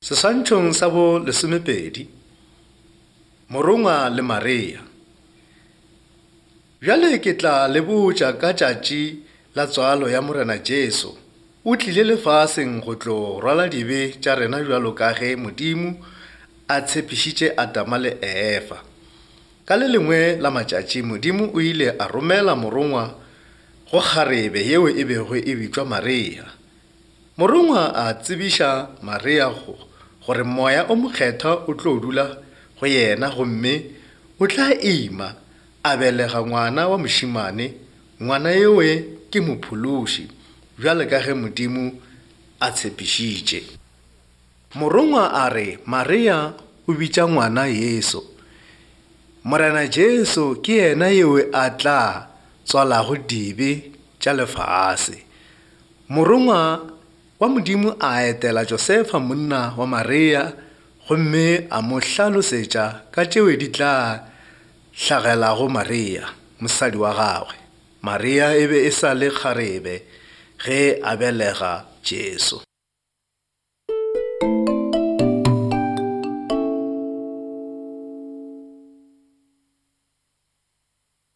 Seswantšhong sa bo 12, Morongwa le Maria. Bjale ke tla le botša ka tšatši la tswalo ya Morena Jesu. O tlile lefaseng go tlo rwala dibe tša rena bjalo ka ge Modimo a tshepišitše Adama le Eva. Ka le lengwe la matšatši Modimo o ile a romela morongwa go kgarebe yeo e bego e bitšwa Maria. Morongwa a tsebiša Maria gore moya o mokgethwa o tlo dula go yena, gomme o tla ima a belega ngwana wa mošimane. Ngwana yewe ke mophološi bjale ka ge Modimo a tshepišitše. Morongwa a re Maria o bitša ngwana Yesu. Morena Jesu ke yena yewe a tla tswalago dibe tša lefase. Morongwa wa Modimo a etela Josefa monna wa Maria, gomme a mo hlalosetša ka tšeo di tla hlagelago Maria, mosadi wa gagwe. Maria e be e sa le kgarebe ge a belega Jesu.